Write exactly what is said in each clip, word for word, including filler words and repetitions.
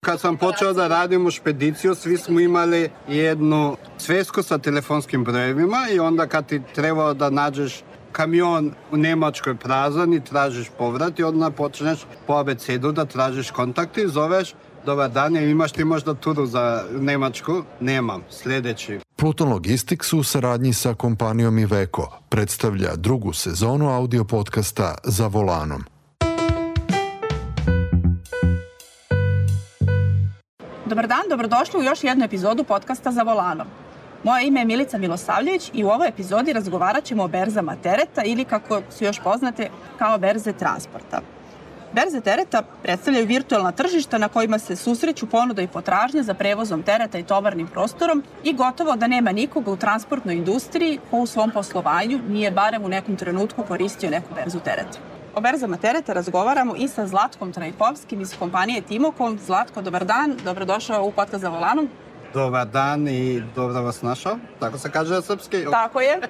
Kad sam počeo da radim u špediciju, svi smo imali jednu svesku sa telefonskim brojevima i onda kad ti trebao da nađeš kamion u Nemačkoj prazan i tražiš povrat i onda počneš po abecedu da tražiš kontakti, zoveš, dobar dan, imaš ti možda turu za Nemačku? Nemam, sljedeći. Pluton Logistics u saradnji sa kompanijom Iveco predstavlja drugu sezonu audio podcasta Za volanom. Dobar dan, dobrodošli u još jednu epizodu podcasta Za volanom. Moje ime je Milica Milosavljević i u ovoj epizodi razgovarat ćemo o berzama tereta ili, kako su još poznate, kao berze transporta. Berze tereta predstavljaju virtualna tržišta na kojima se susreću ponuda i potražnja za prevozom tereta i tovarnim prostorom i gotovo da nema nikoga u transportnoj industriji ko u svom poslovanju nije barem u nekom trenutku koristio neku berzu tereta. O berzama tereta razgovaramo i sa Zlatkom Trajkovskim iz kompanije Timocom. Zlatko, dobar dan, dobrodošao u podcast Za volanom. Dobar dan i dobro vas našao, tako se kaže na srpski. Tako je.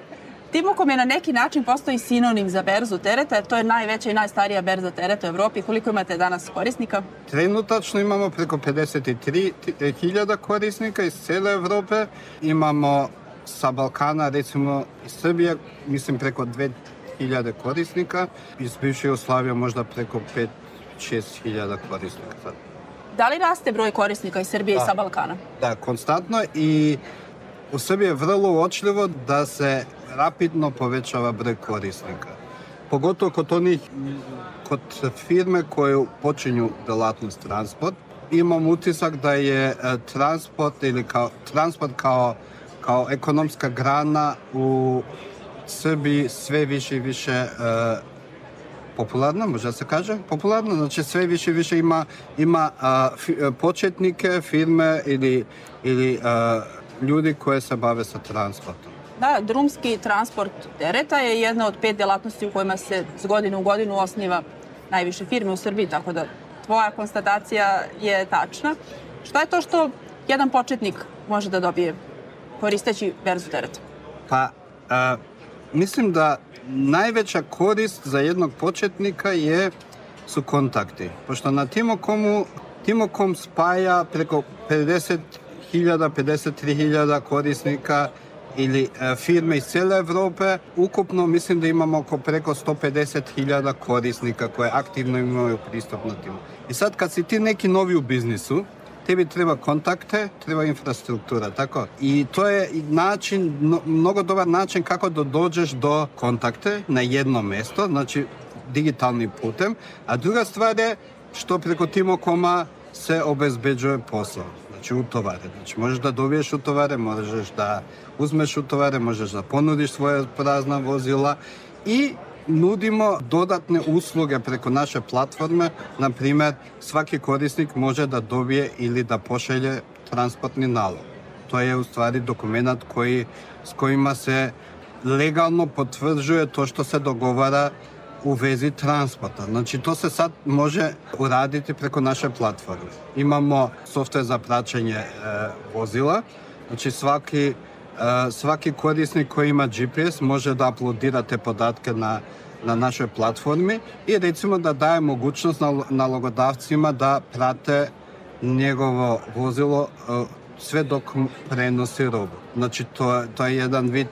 Timocom je na neki način postoji sinonim za berzu tereta, jer to je najveća i najstarija berza tereta u Evropi. Koliko imate danas korisnika? Trenutačno imamo preko pedeset tri hiljada korisnika iz cijele Evrope. Imamo sa Balkana, recimo iz Srbije, mislim preko dve hiljade korisnika. Iz bivše Jugoslavije možda preko pet šest hiljada korisnika sad. Da li raste broj korisnika iz Srbije da. i sa Balkana? Da, konstantno, i u Srbiji je vrlo uočljivo da se rapidno povećava broj korisnika. Pogotovo kod onih, kod firme koje počinju delatnost transport. Imam utisak da je transport ili kao, transport kao, kao ekonomska grana u Srbiji sve više i više uh, popularna, može se kaže, popularna, znači sve više i više ima, ima uh, fi, uh, početnike, firme ili, ili uh, ljudi koji se bave sa transportom. Da, drumski transport tereta je jedna od pet delatnosti u kojima se z godinu u godinu osniva najviše firme u Srbiji, tako da tvoja konstatacija je tačna. Šta je to što jedan početnik može da dobije koristeći berzu tereta? Pa, uh, mislim da najveća korist za jednog početnika je, su kontakti. Pošto na Timocomu, Timocom spaja preko pedeset hiljada, pedeset tri hiljada korisnika ili e, firme iz cijele Evrope. Ukupno mislim da imamo oko preko sto pedeset hiljada korisnika koje aktivno imaju pristup na Timo. I sad kad si ti neki novi u biznisu, tebi treba kontakte, treba infrastruktura, tako? I to je način, no, mnogo dobar način kako da dođeš do kontakte na jedno mjesto, znači digitalnim putem. A druga stvar je što preko Timocoma se obezbeđuje posao, znači utovare. Znači možeš da dobiješ utovare, možeš da uzmeš utovare, možeš da ponudiš svoje prazna vozila i nudimo dodatne usluge preko naše platforme. Na primjer, svaki korisnik može da dobije ili da pošalje transportni nalog. To je u stvari dokument koji, s kojima se legalno potvrđuje to što se dogovara u vezi transporta. Znači, to se sad može uraditi preko naše platforme. Imamo softver za praćenje e, vozila. Znači, svaki Uh, svaki korisnik koji ima G P S može da uploadira te podatke na, na našoj platformi i recimo da daje mogućnost nalogodavcima da prate njegovo vozilo uh, sve dok prenosi robu. Znači to, to je jedan vid,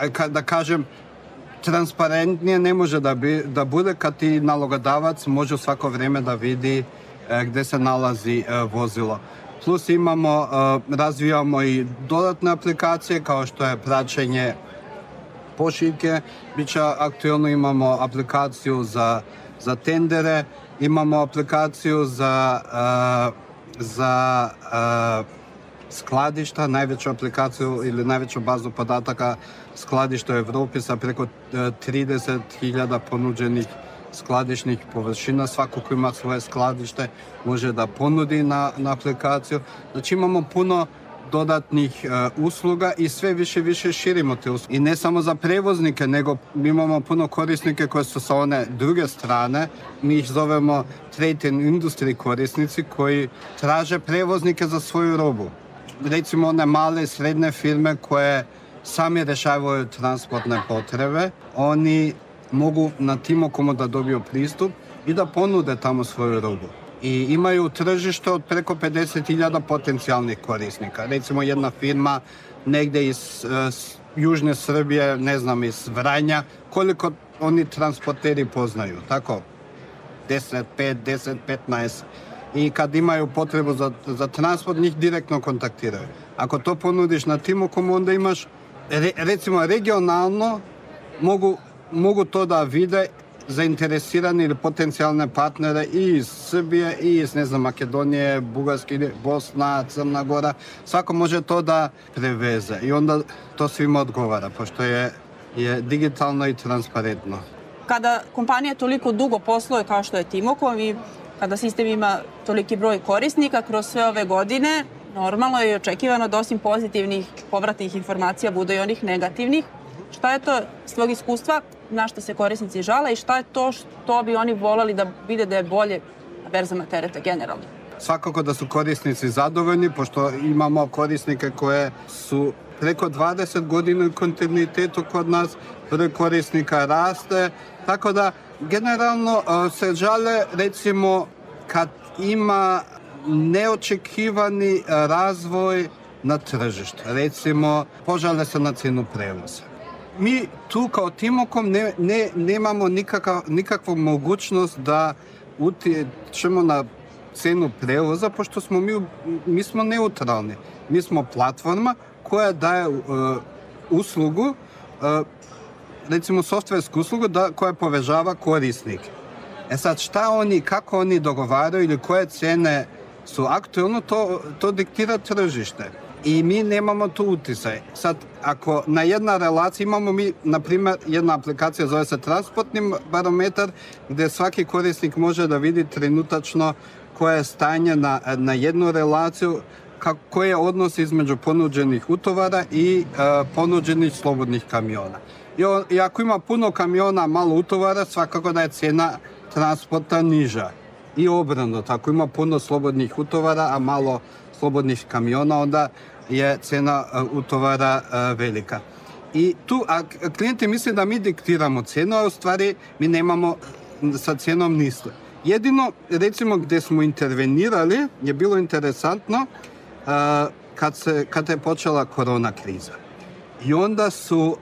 uh, da kažem, transparentnije ne može da, bi, da bude kad ti nalogodavac može svako vrijeme da vidi uh, gdje se nalazi uh, vozilo. Plus imamo, razvijamo i dodatne aplikacije kao što je praćenje pošiljke. Biće aktualno, imamo aplikaciju za, za tendere, imamo aplikaciju za, za skladišta, najveću aplikaciju ili najveću bazu podataka skladišta u Evropi sa preko trideset hiljada ponuđenih skladišnih površina. Svako ko ima svoje skladište može da ponudi na, na aplikaciju. Znači imamo puno dodatnih uh, usluga i sve više više širimo te usluge. I ne samo za prevoznike, nego imamo puno korisnike koji su sa one druge strane. Mi ih zovemo trade and industry korisnici koji traže prevoznike za svoju robu. Recimo one male i srednje firme koje sami rešavaju transportne potrebe. Oni mogu na Timocomu da dobiju pristup i da ponude tamo svoju robu. i imaju tržište od preko pedeset hiljada potencijalnih korisnika. Recimo jedna firma negdje iz uh, Južne Srbije, ne znam, iz Vranja, koliko oni transporteri poznaju, tako? deset, pet, deset, petnaest. I kad imaju potrebu za, za transport, njih direktno kontaktiraju. Ako to ponudiš na Timokomu, onda imaš, re, recimo regionalno, mogu, mogu to da vide zainteresirani ili potencijalne partnere i iz Srbije, i iz, ne znam, Makedonije, Bugarske, Bosna, Crna Gora. Svako može to da preveze i onda to svima odgovara, pošto je, je digitalno i transparentno. Kada kompanija toliko dugo posluje kao što je Timokom i kada sistem ima toliki broj korisnika kroz sve ove godine, normalno je očekivano da osim pozitivnih povratnih informacija bude i onih negativnih. Šta je to s tvojeg iskustva, na što se korisnici žale i šta je to što bi oni voleli da vide da je bolje na berzama tereta generalno? Svakako da su korisnici zadovoljni, pošto imamo korisnike koje su preko dvadeset godina u kontinuitetu kod nas, broj korisnika raste, tako da generalno se žale recimo kad ima neočekivani razvoj na tržištu. Recimo, požale se na cijenu prevoza. Mi tu kao Timokom ne, ne, nemamo nikakav, nikakvu mogućnost da utječemo na cijenu prevoza, pošto smo mi, mi smo neutralni. Mi smo platforma koja daje uh, uslugu, uh, recimo softversku uslugu da, koja povežava korisnike. E sad, šta oni, kako oni dogovaraju ili koje cijene su aktualno, to, to diktira tržište. I mi nemamo tu utisaj. Sad, ako na jedna relacija imamo mi, na primjer, jedna aplikacija zove se Transportni barometar, gdje svaki korisnik može da vidi trenutačno koje je stanje na, na jednu relaciju, koji je odnos između ponuđenih utovara i uh, ponuđenih slobodnih kamiona. I, o, I ako ima puno kamiona, malo utovara, svakako da je cijena transporta niža. I obrnuto, ako ima puno slobodnih utovara, a malo slobodnih kamiona, onda je cijena uh, utovara uh, velika. I tu, a klijenti misle da mi diktiramo cijenu, a u stvari mi nemamo sa cijenom ništa. Jedino, recimo, gdje smo intervenirali, je bilo interesantno uh, kad, se, kad je počela korona kriza. I onda su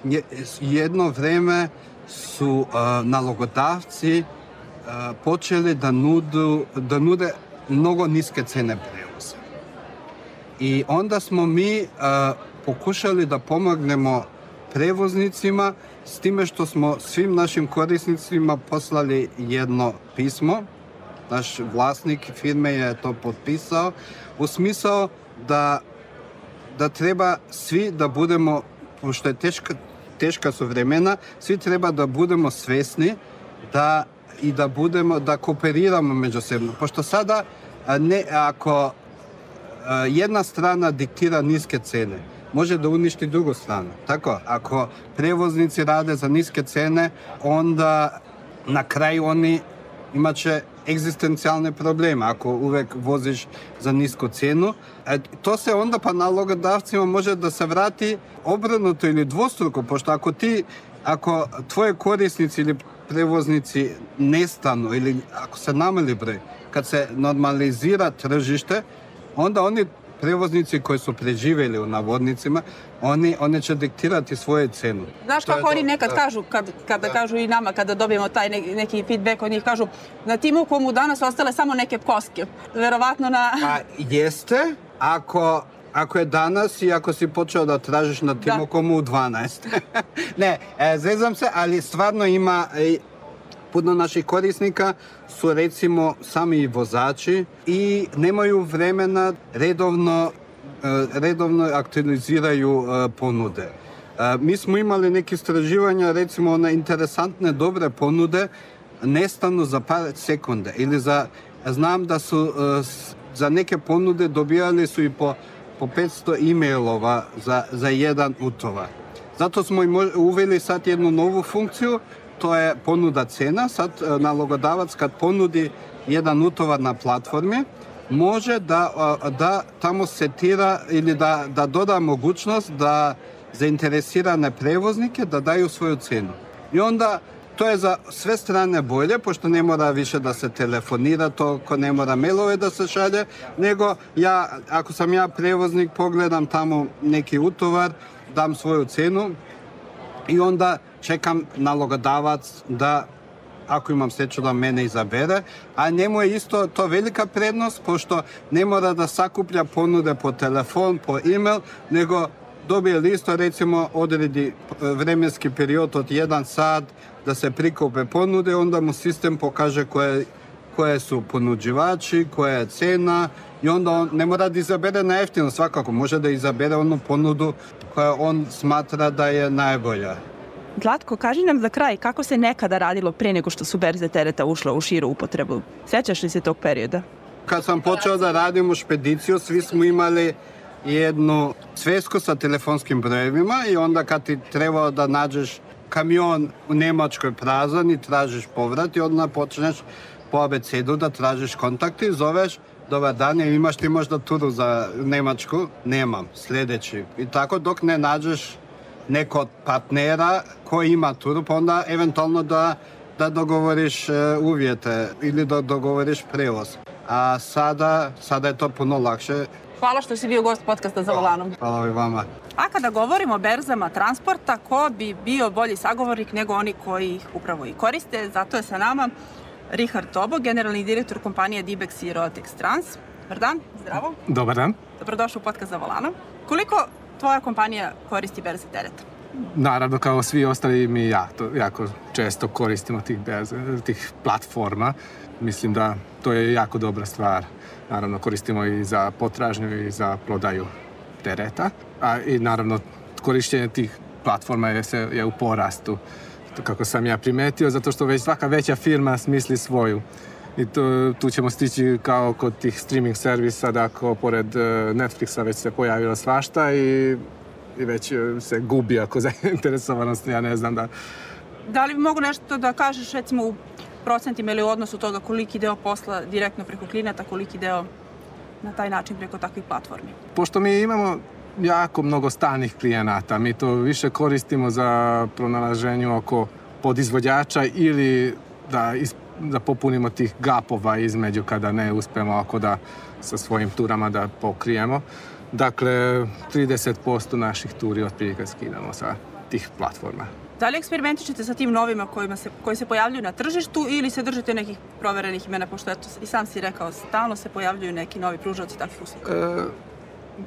uh, jedno vrijeme su uh, nalogodavci uh, počeli da, nudu, da nude mnogo niske cene prevoza. I onda smo mi uh, pokušali da pomognemo prevoznicima s time što smo svim našim korisnicima poslali jedno pismo. Naš vlasnik firme je to potpisao u smisao da, da treba svi da budemo, pošto je teška, teška su vremena, svi treba da budemo svesni da, i da budemo, da kooperiramo međusobno. Pošto sada ne, ako jedna strana diktira niske cene, može da uništi drugu stranu. Tako, ako prevoznici rade za niske cene, onda na kraju oni imat će egzistencijalne probleme ako uvek voziš za nisku cijenu. E, to se onda pa nalogodavcima može da se vrati obrnuto ili dvostruko, pošto ako ti, ako tvoje korisnici ili prevoznici nestanu ili ako se namali broj, kad se normalizira tržište, onda oni prevoznici koji su preživjeli u navodnicima, oni, oni će diktirati svoje cenu. Znaš kako oni nekad da kažu, kad, kada da. kažu i nama, kada dobijemo taj neki, neki feedback od njih, kažu na Timokomu danas ostale samo neke koske. Verovatno na... A jeste, ako, ako je danas i ako si počeo da tražiš na Timokomu u dvanaest. Ne, e, zezam se, ali stvarno ima... E, puno naših korisnika su recimo sami vozači i nemaju vremena redovno, redovno aktualiziraju ponude. Mi smo imali neke istraživanja, recimo na interesantne dobre ponude nestanu za par sekunde ili za, znam da su za neke ponude dobijali su i po, po petsto e-mailova za, za jedan utovar. Zato smo uveli sad jednu novu funkciju, to je ponuda cena. Sad nalogodavac kad ponudi jedan utovar na platformi, može da, da tamo setira ili da, da doda mogućnost da zainteresirane prevoznike da daju svoju cenu. I onda to je za sve strane bolje, pošto ne mora više da se telefonira, toliko ne mora mailove da se šalje, nego ja, ako sam ja prevoznik, pogledam tamo neki utovar, dam svoju cenu i onda čekam nalogodavac da, ako imam sreću, da mene izabere, a njemu je isto to velika prednost, pošto ne mora da sakuplja ponude po telefon, po e-mail, nego dobije listo, recimo odredi vremenski period od jedan sat da se prikupe ponude, onda mu sistem pokaže koje, koje su ponuđivači, koja je cena i onda on ne mora da izabere na jeftino, svakako može da izabere onu ponudu koja on smatra da je najbolja. Zlatko, kaži nam za kraj kako se nekada radilo pre nego što su berze tereta ušle u širu upotrebu. Sjećaš li se tog perioda? Kad sam počeo da radim u špediciju, svi smo imali jednu svesku sa telefonskim brojevima i onda kad ti trebao da nađeš kamion u Nemačkoj prazan i tražiš povrat i onda počneš po abecedu da tražiš kontakte i zoveš: dobar dan, imaš ti možda turu za Nemačku? Nemam, sljedeći. I tako dok ne nađeš nekog partnera koji ima turu, pa onda eventualno da, da dogovoriš uvjete ili da dogovoriš prevoz. A sada, sada je to puno lakše. Hvala što si bio gost podcasta Za volanom. Hvala i vama. A kada govorimo o berzama transporta, ko bi bio bolji sagovornik nego oni koji ih upravo i koriste? Zato je sa nama Richard Tobo, generalni direktor kompanije Dibex i Roatex Trans. Dobar dan, zdravo. Dobar dan. Dobrodošli u podcast Za volanom. Koliko tvoja kompanija koristi berze tereta? Naravno, kao svi ostali, mi jako, jako često koristimo tih, berze, tih platforma. Mislim da to je jako dobra stvar. Naravno, koristimo i za potražnju i za prodaju tereta. A i naravno, korištenje tih platforma je, se, je u porastu, kako sam ja primetio, zato što već svaka veća firma smisli svoju. I tu, tu ćemo stići kao kod tih streaming servisa, da ako pored Netflixa već se pojavilo svašta i, i već se gubi ako zainteresovanost, ja ne znam da... Da li mogu nešto da kažeš, recimo, u procentima ili u odnosu toga koliki deo posla direktno preko klijenata, koliki deo na taj način preko takvih platformi? Pošto mi imamo jako mnogo stalnih klijenata, mi to više koristimo za pronalaženju oko podizvođača ili da, is, da popunimo tih gapova između kada ne uspemo ako da sa svojim turama da pokrijemo. Dakle, trideset posto naših turi otprilike skidamo sa tih platforma. Da li eksperimentičete sa tim novima kojima se, koji se pojavljuju na tržištu ili se držite nekih proverenih imena, pošto eto, i sam si rekao, stalno se pojavljuju neki novi pružaoci takvih usluga? E,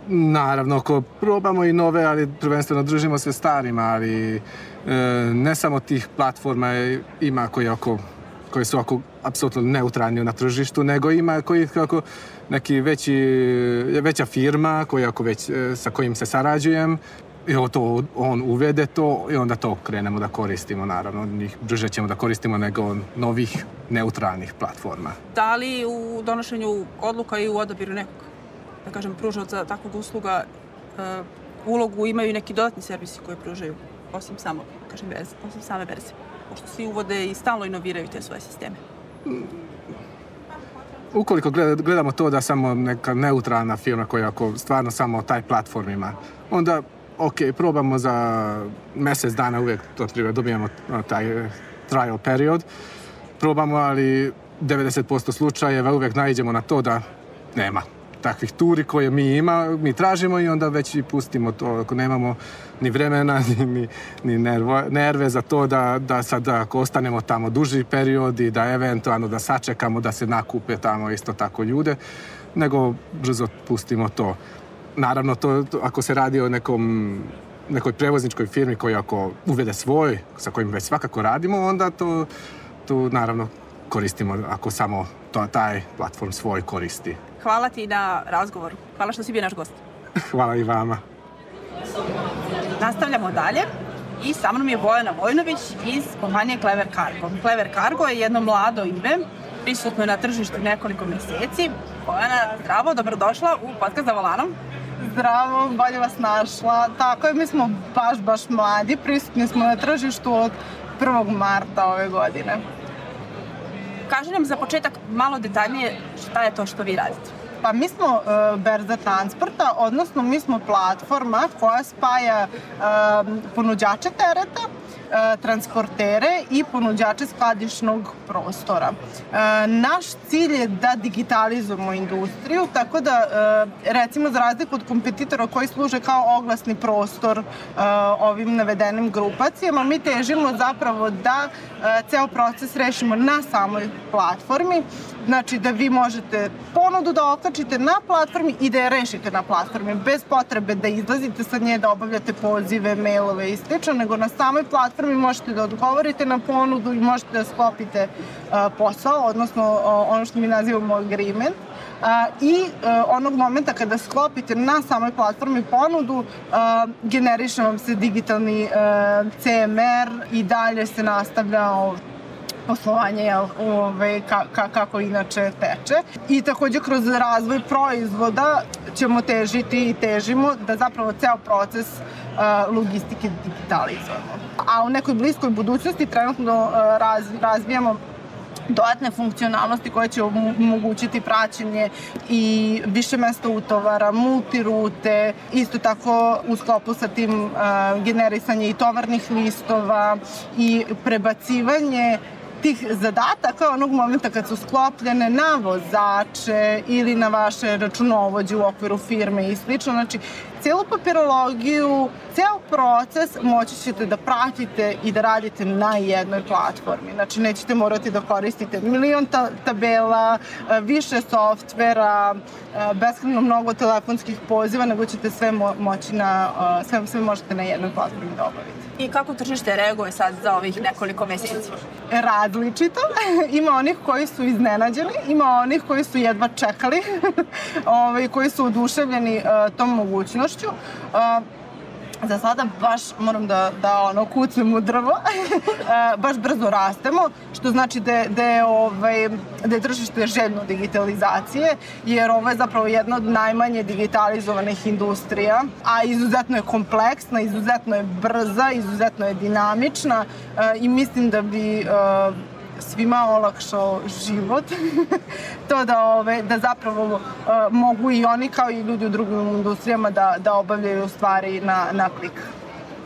naravno, ako probamo i nove, ali prvenstveno držimo se starima, ali e, ne samo tih platforma ima koji, oko, koji su oko apsolutno neutralni na tržištu, nego ima koji kako neki veći, veća firma koji ako već, sa kojim se sarađujem, i to, on uvede to i onda to krenemo da koristimo, naravno. Njih brže ćemo da koristimo nego novih neutralnih platforma. Da li u donošenju odluka i u odabiru nekog, da kažem, pružaoca takvog usluga uh, ulogu imaju neki dodatni servisi koji pružaju, osim samo, kažem, berze, osim same berze, pošto svi uvode i stalno inoviraju te svoje sisteme? Ukoliko gledamo to da samo neka neutralna firma koja ako stvarno samo taj platform ima, onda ok, probamo za mjesec dana, uvijek to treba, dobijemo taj trial period, probamo, ali devedeset posto slučajeva uvijek naiđemo na to da nema takvih turi koje mi ima, mi tražimo i onda već i pustimo to, ako nemamo ni vremena, ni, ni nervo, nerve za to da, da sad ako ostanemo tamo duži period i da eventualno da sačekamo da se nakupe tamo isto tako ljude, nego brzo pustimo to. Naravno, to, to, ako se radi o nekom, nekoj prevozničkoj firmi koja ako uvede svoj, sa kojim već svakako radimo, onda to, to naravno koristimo ako samo to, taj platform svoj koristi. Hvala ti na razgovoru. Hvala što si bio naš gost. Hvala i vama. Nastavljamo dalje i sa mnom je Bojana Vojnović iz kompanije Clever Cargo. Clever Cargo je jedno mlado ime, prisutno je na tržištu nekoliko mjeseci. Bojana, zdravo, dobrodošla u podcast Za volanom. Zdravo, bolje vas našla. Tako je, mi smo baš, baš mladi, prisutni smo na tržištu od prvog marta ove godine. Kaži nam za početak malo detaljnije šta je to što vi radite. Pa mi smo uh, berza transporta, odnosno mi smo platforma koja spaja uh, ponuđače tereta transportere i ponuđače skladišnog prostora. Naš cilj je da digitalizujemo industriju, tako da recimo za razliku od kompetitora koji služe kao oglasni prostor ovim navedenim grupacijama, mi težimo zapravo da ceo proces rešimo na samoj platformi, znači da vi možete ponudu da okačite na platformi i da je rešite na platformi, bez potrebe da izlazite sa nje, da obavljate pozive, mailove i slično, nego na samoj platformi možete da odgovorite na ponudu i možete da sklopite posao, odnosno ono što mi nazivamo agreement. I onog momenta kada sklopite na samoj platformi ponudu, generiše vam se digitalni C M R i dalje se nastavlja poslovanje ove, ka, ka, kako inače teče. I takođe kroz razvoj proizvoda ćemo težiti i težimo da zapravo ceo proces uh, logistike digitalizujemo. A u nekoj bliskoj budućnosti trenutno uh, raz, razvijamo dodatne funkcionalnosti koje će omogućiti praćenje i više mesta utovara, multirute, isto tako u sklopu sa tim uh, generisanje i tovarnih listova i prebacivanje tih zadataka onog momenta kad su sklopljene na vozače ili na vaše računovođe u okviru firme i slično. Znači, cijelu papirologiju, ceo proces moći ćete da pratite i da radite na jednoj platformi. Znači, nećete morati da koristite milion ta- tabela, više softvera, beskrajno mnogo telefonskih poziva, nego ćete sve mo- moći na, sve, sve možete na jednoj platformi da obavite. I kako tržište reaguje sad za ovih nekoliko meseci? Različito. Ima onih koji su iznenađeni, ima onih koji su jedva čekali, ovaj, koji su oduševljeni uh, tom mogućnošću. Uh, Za sada baš moram da, da ono, kucnem u drvo, baš brzo rastemo, što znači da, da, je, ovaj, da je tržište željno digitalizacije, jer ovo je zapravo jedna od najmanje digitalizovanih industrija, a izuzetno je kompleksna, izuzetno je brza, izuzetno je dinamična i mislim da bi svima olakšao život, to da, ove, da zapravo uh, mogu i oni kao i ljudi u drugim industrijama da, da obavljaju stvari na, na klik.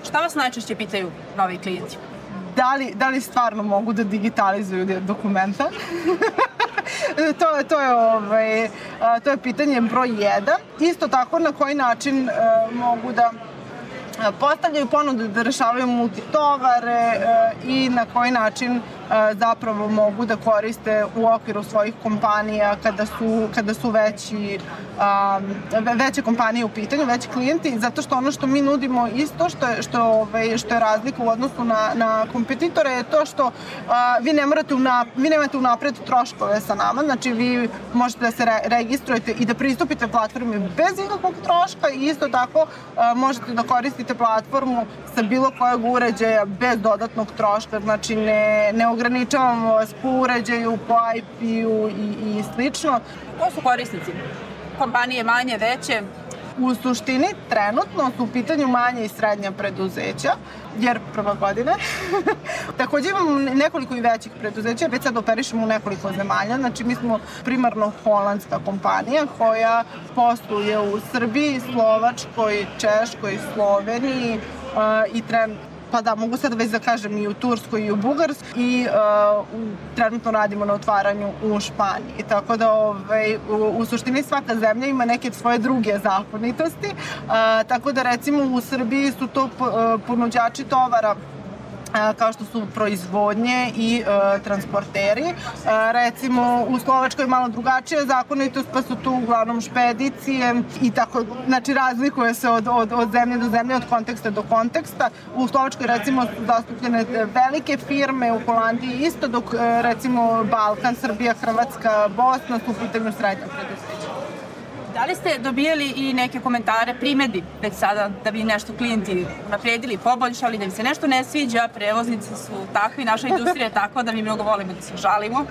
Šta vas najčešće pitaju novi klijenti? Da li, da li stvarno mogu da digitalizuju dokumenta? to, to, je, ovaj, to je pitanje broj jedan. Isto tako na koji način uh, mogu da postavljaju ponudu da rešavaju multitovare uh, i na koji način uh, zapravo mogu da koriste u okviru svojih kompanija kada su, kada su veći, um, veće kompanije u pitanju, veći klijenti, zato što ono što mi nudimo isto, što je, što, ovaj, što je razlika u odnosu na, na kompetitore, je to što uh, vi ne morate una, vi nemate unapred troškove sa nama, znači vi možete da se re, registrujete i da pristupite platformi bez ikakvog troška i isto tako uh, možete da koristite platformu sa bilo kojeg uređaja bez dodatnog troška, znači ne, ne ograničavamo vas po uređaju, po I P-u i, i slično. Ko su korisnici? Kompanije manje, veće? U suštini, trenutno su u pitanju manje i srednja preduzeća, jer prva godina. Takođe imamo nekoliko i većih preduzeća, već sad operišemo u nekoliko zemalja. Znači, mi smo primarno holandska kompanija koja posluje u Srbiji, Slovačkoj, Češkoj, Sloveniji uh, i trenutno pa da, mogu sad već da kažem i u Turskoj i u Bugarskoj i uh, trenutno radimo na otvaranju u Španiji. Tako da ovaj, u, u suštini svaka zemlja ima neke svoje druge zakonitosti. Uh, tako da recimo u Srbiji su to uh, ponuđači tovara kao što su proizvodnje i e, transporteri. E, recimo, u Slovačkoj je malo drugačija zakonitost, pa su tu uglavnom špedicije i tako, znači razlikuje se od, od, od zemlje do zemlje, od konteksta do konteksta. U Slovačkoj, recimo, su zastupljene velike firme, u Holandiji isto, dok, e, recimo, Balkan, Srbija, Hrvatska, Bosna su u pitanju srednja preduzeća. Da li ste dobijali i neke komentare, primedbi već sada da bi nešto klijenti naprijedili, poboljšali, da im se nešto ne sviđa, prevoznici su takvi, naša industrija je takva da mi mnogo volimo da se žalimo?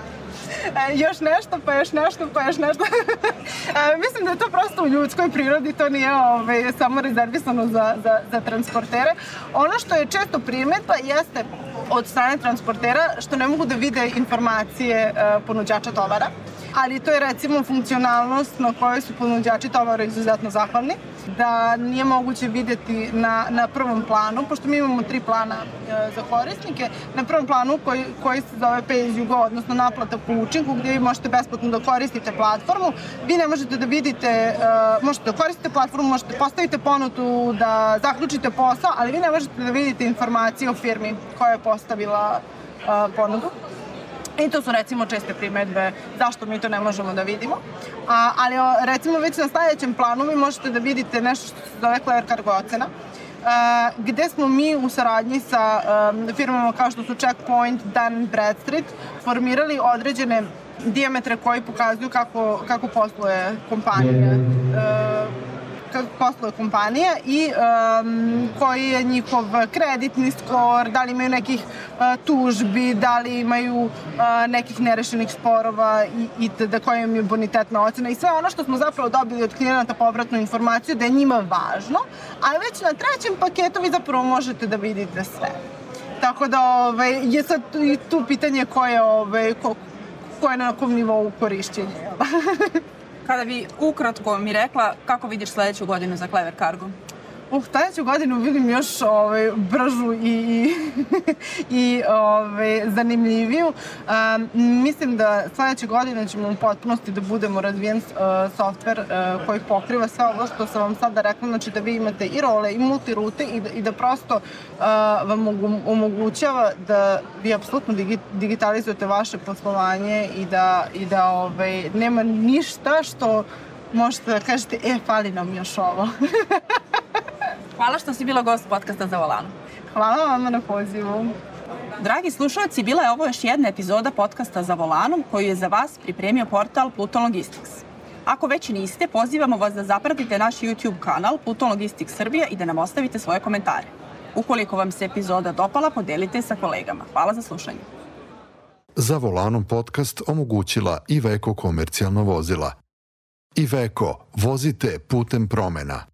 E, još nešto, pa još nešto, pa još nešto. e, mislim da je to prosto u ljudskoj prirodi, to nije ove, samo rezervisano za, za, za transportere. Ono što je često primedba jeste od strane transportera što ne mogu da vide informacije e, ponuđača tovara. ali to je recimo funkcionalnost na kojoj su ponuđači tovara izuzetno zahvalni, da nije moguće vidjeti na, na prvom planu, pošto mi imamo tri plana e, za korisnike, na prvom planu koji, koji se zove Pay as you go, odnosno naplata po učinku, gdje vi možete besplatno da koristite platformu. Vi ne možete da vidite, e, možete da koristite platformu, možete postavite ponudu, da zaključite posao, ali vi ne možete da vidite informacije o firmi koja je postavila e, ponudu. I to su recimo česte primjedbe zašto mi to ne možemo da vidimo. A, ali recimo već na sljedećem planu vi možete da vidite nešto što se zove Clever Cargo ocena, a, gde smo mi u saradnji sa a, firmama kao što su Checkpoint, Dun and Bradstreet formirali određene dijametre koji pokazuju kako, kako posluje kompanija. A, kako posluje kompanija i um, koji je njihov kreditni skor, da li imaju nekih uh, tužbi, da li imaju uh, nekih nerešenih sporova i, i da koja im je bonitetna ocena i sve ono što smo zapravo dobili od klijenata povratnu informaciju da je njima važno, ali već na trećem paketu vi zapravo možete da vidite sve. Tako da ovaj, je sad i tu pitanje ko je, ovaj, ko, ko je na kom nivou korišćenja. Kada bi ukratko mi rekla kako vidiš sljedeću godinu za Clever Cargo? Uh, sljedeću godinu vidim još ovaj, bržu i, i, i ovaj, zanimljiviju. Um, mislim da sljedeće godine ćemo u potpunosti da budemo razvijen uh, softver uh, koji pokriva sve ovo što sam vam sada rekla, znači da vi imate i role i multirute i da, i da prosto uh, vam omogućava da vi apsolutno digi, digitalizujete vaše poslovanje i da, i da ovaj, nema ništa što možete da kažete, e, fali nam još ovo. Hvala što si bila gost podcasta Za volanom. Hvala vama na pozivu. Dragi slušalci, bila je ovo još jedna epizoda podcasta Za volanom koju je za vas pripremio portal Pluton Logistics. Ako već niste, pozivamo vas da zapratite naš YouTube kanal Pluton Logistics Srbija i da nam ostavite svoje komentare. Ukoliko vam se epizoda dopala, podelite sa kolegama. Hvala za slušanje. Za volanom podcast omogućila Iveco komercijalna vozila. Iveco, vozite putem promena.